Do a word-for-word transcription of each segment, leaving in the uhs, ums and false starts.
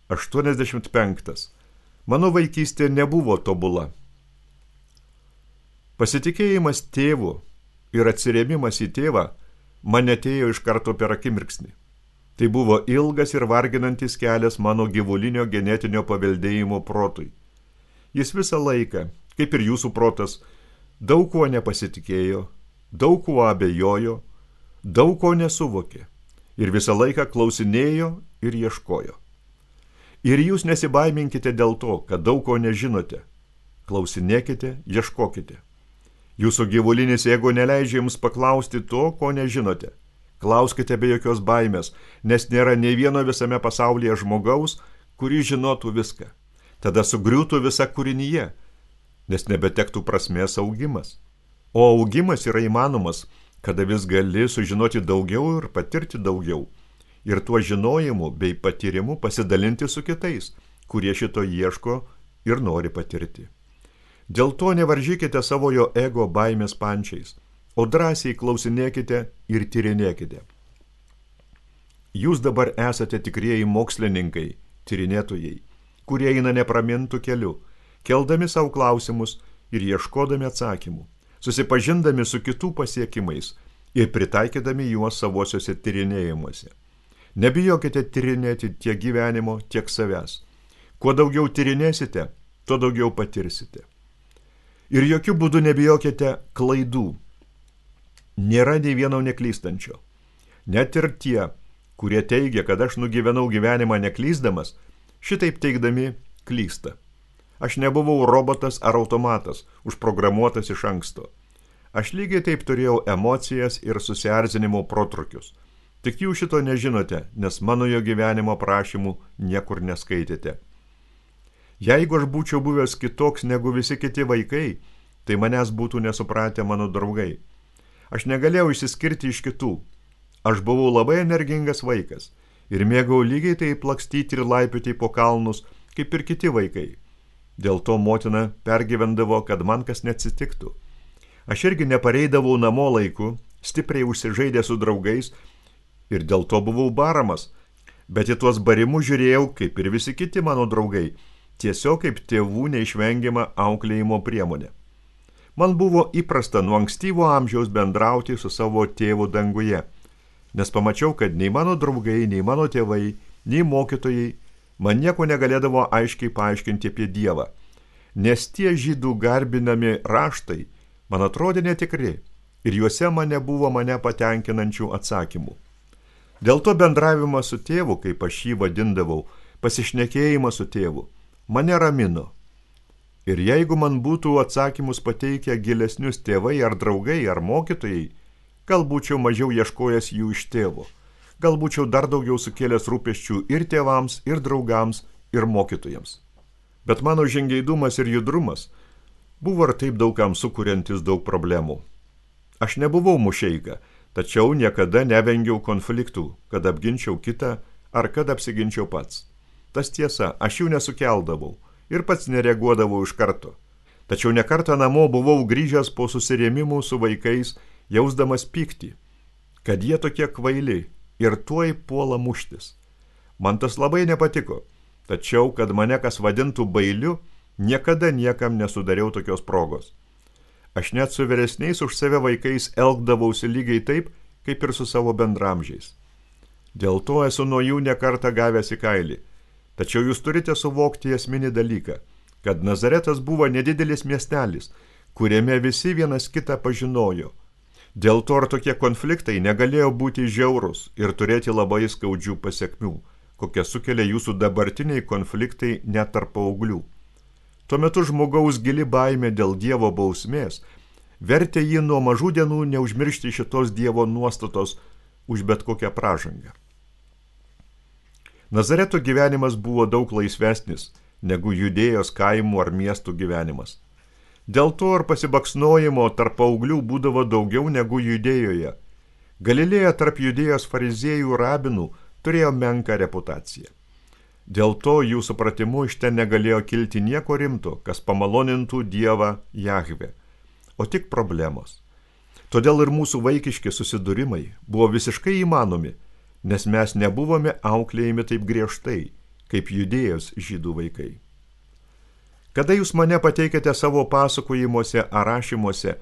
aštuoniasdešimt penktas. Mano vaikystė nebuvo tobula. Pasitikėjimas tėvu ir atsirėmimas į tėvą man atėjo iš karto per akimirksnį. Tai buvo ilgas ir varginantis kelias mano gyvulinio genetinio paveldėjimo protui. Jis visą laiką, kaip ir jūsų protas, daug kuo nepasitikėjo, daug kuo abejojo, daug ko nesuvokė ir visą laiką klausinėjo ir ieškojo. Ir jūs nesibaiminkite dėl to, kad daug ko nežinote. Klausinėkite, ieškokite. Jūsų gyvulinis ego neleidžia jums paklausti to, ko nežinote. Klauskite be jokios baimės, nes nėra nei vieno visame pasaulyje žmogaus, kuris žinotų viską. Tada sugriūtų visa kūrinyje, nes nebetektų prasmės augimas. O augimas yra įmanomas, kada vis gali sužinoti daugiau ir patirti daugiau. Ir tuo žinojimu bei patyrimu pasidalinti su kitais, kurie šito ieško ir nori patirti. Dėl to nevaržykite savojo ego baimės pančiais, o drąsiai klausinėkite ir tyrinėkite. Jūs dabar esate tikrieji mokslininkai, tyrinėtojai, kurie eina nepramintų keliu, keldami savo klausimus ir ieškodami atsakymų, susipažindami su kitų pasiekimais ir pritaikydami juos savosiuose tyrinėjimuose. Nebijokite tyrinėti tiek gyvenimo, tiek savęs. Kuo daugiau tyrinėsite, tuo daugiau patirsite. Ir jokių būdų nebijokite klaidų. Nėra nei vieno neklystančio. Net ir tie, kurie teigia, kad aš nugyvenau gyvenimą neklysdamas, šitaip teigdami klysta. Aš nebuvau robotas ar automatas, užprogramuotas iš anksto. Aš lygiai taip turėjau emocijas ir susierzinimo protrukius. Tik jūs šito nežinote, nes mano jo gyvenimo prašymų niekur neskaitėte. Jeigu aš būčiau buvęs kitoks negu visi kiti vaikai, tai manęs būtų nesupratę mano draugai. Aš negalėjau išsiskirti iš kitų. Aš buvau labai energingas vaikas ir mėgau lygiai taip lakstyti ir laipioti po kalnus, kaip ir kiti vaikai. Dėl to motina pergyvendavo, kad man kas neatsitiktų. Aš irgi nepareidavau namo laiku, stipriai užsižaidė su draugais ir dėl to buvau baramas, bet į tuos barimus žiūrėjau, kaip ir visi kiti mano draugai, tiesiog kaip tėvų neišvengiama auklėjimo priemonė. Man buvo įprasta nuo ankstyvo amžiaus bendrauti su savo tėvu danguje, nes pamačiau, kad nei mano draugai, nei mano tėvai, nei mokytojai man nieko negalėdavo aiškiai paaiškinti apie Dievą, nes tie žydų garbinami raštai man atrodė netikri ir juose man nebuvo mane patenkinančių atsakymų. Dėl to bendravimas su tėvu, kaip aš jį vadindavau, pasišnekėjimas su tėvu, mane ramino. Ir jeigu man būtų atsakymus pateikę gilesnius tėvai ar draugai ar mokytojai, gal būčiau mažiau ieškojęs jų iš tėvo, gal būčiau dar daugiau sukėlęs rūpesčių ir tėvams, ir draugams, ir mokytojams. Bet mano žingeidumas ir judrumas buvo ir taip daugam sukuriantis daug problemų. Aš nebuvau mušeika, tačiau niekada nevengiau konfliktų, kad apginčiau kitą ar kad apsiginčiau pats. Tas tiesa, aš jų nesukeldavau ir pats nereaguodavau iš karto. Tačiau nekartą namo buvau grįžęs po susirėmimų su vaikais, jausdamas pyktį, kad jie tokie kvaili ir tuoj puola muštis. Man tas labai nepatiko, tačiau, kad mane kas vadintų bailiu, niekada niekam nesudariau tokios progos. Aš net su vyresniais už save vaikais elgdavausi lygiai taip, kaip ir su savo bendramžiais. Dėl to esu nuo jų nekartą gavęs į kailį. Tačiau jūs turite suvokti esminį dalyką, kad Nazaretas buvo nedidelis miestelis, kuriame visi vienas kitą pažinojo. Dėl to ir tokie konfliktai negalėjo būti žiaurūs ir turėti labai skaudžių pasekmių, kokie sukelia jūsų dabartiniai konfliktai net tarp paauglių. Tuo metu žmogaus gili baimė dėl Dievo bausmės vertė jį nuo mažų dienų neužmiršti šitos Dievo nuostatos už bet kokią pražangą. Nazareto gyvenimas buvo daug laisvesnis negu Judėjos kaimų ar miestų gyvenimas. Dėl to ir pasibaksnojimo tarp paauglių būdavo daugiau negu Judėjoje. Galilėja tarp Judėjos fariziejų rabinų turėjo menką reputaciją. Dėl to jų supratimu iš ten negalėjo kilti nieko rimto, kas pamalonintų Dievą Jahvę, o tik problemos. Todėl ir mūsų vaikiški susidūrimai buvo visiškai įmanomi, nes mes nebuvome auklėjami taip griežtai, kaip Judėjos žydų vaikai. Kada jūs mane pateikėte savo pasakojimuose ar rašymuose,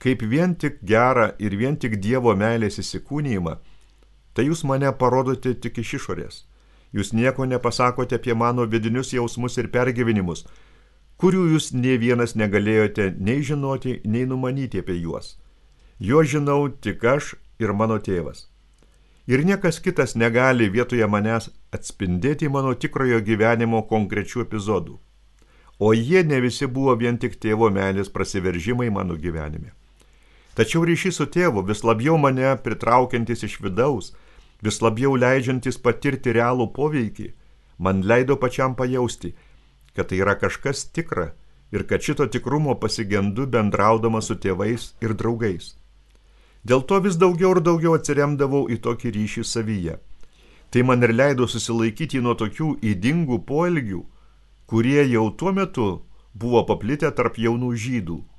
kaip vien tik gerą ir vien tik Dievo meilės įsikūnijimą, tai jūs mane parodote tik iš išorės. Jūs nieko nepasakote apie mano vidinius jausmus ir pergyvenimus, kurių jūs nei vienas negalėjote nei žinoti, nei numanyti apie juos. Jo žinau tik aš ir mano tėvas. Ir niekas kitas negali vietoje manęs atspindėti mano tikrojo gyvenimo konkrečių epizodų. O jie ne visi buvo vien tik tėvo meilės prasiveržimai mano gyvenime. Tačiau ryšys su tėvu, vis labiau mane pritraukiantis iš vidaus, vis labiau leidžiantis patirti realų poveikį, man leido pačiam pajausti, kad tai yra kažkas tikra ir kad šito tikrumo pasigendu bendraudama su tėvais ir draugais. Dėl to vis daugiau ir daugiau atsiremdavau į tokį ryšį savyje. Tai man ir leido susilaikyti nuo tokių ydingų poelgių, kurie jau tuo metu buvo paplitę tarp jaunų žydų –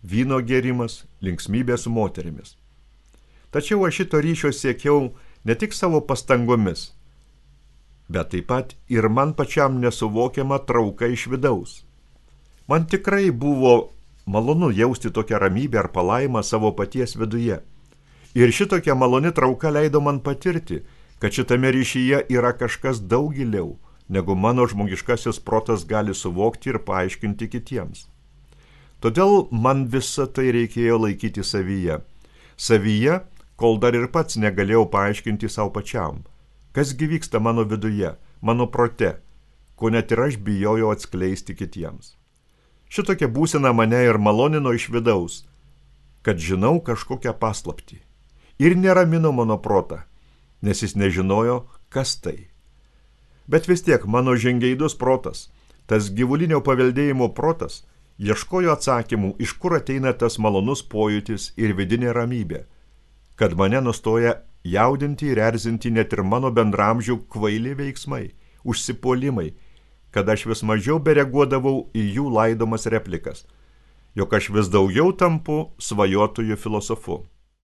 vyno gėrimas, linksmybė su moterimis. Tačiau aš šito ryšio siekiau ne tik savo pastangomis, bet taip pat ir man pačiam nesuvokiama trauka iš vidaus. Man tikrai buvo malonu jausti tokią ramybę ar palaimą savo paties viduje. Ir šitokia maloni trauka leido man patirti, kad šitame ryšyje yra kažkas daug giliau, negu mano žmogiškasis protas gali suvokti ir paaiškinti kitiems. Todėl man visą tai reikėjo laikyti savyje. Savyje, kol dar ir pats negalėjau paaiškinti savo pačiam, kas gi vyksta mano viduje, mano prote, ko net ir aš bijojau atskleisti kitiems. Šitokia būsena mane ir malonino iš vidaus, kad žinau kažkokią paslaptį. Ir neramino mano protą, nes jis nežinojo, kas tai. Bet vis tiek mano žingeidus protas, tas gyvulinio paveldėjimo protas, ieškojo atsakymų, iš kur ateina tas malonus pojūtis ir vidinė ramybė, kad mane nustoja jaudinti ir erzinti net ir mano bendramžių kvaili veiksmai, užsipuolimai, kad aš vis mažiau bereaguodavau į jų laidomas replikas, jog aš vis daugiau tampu svajotojų filosofu.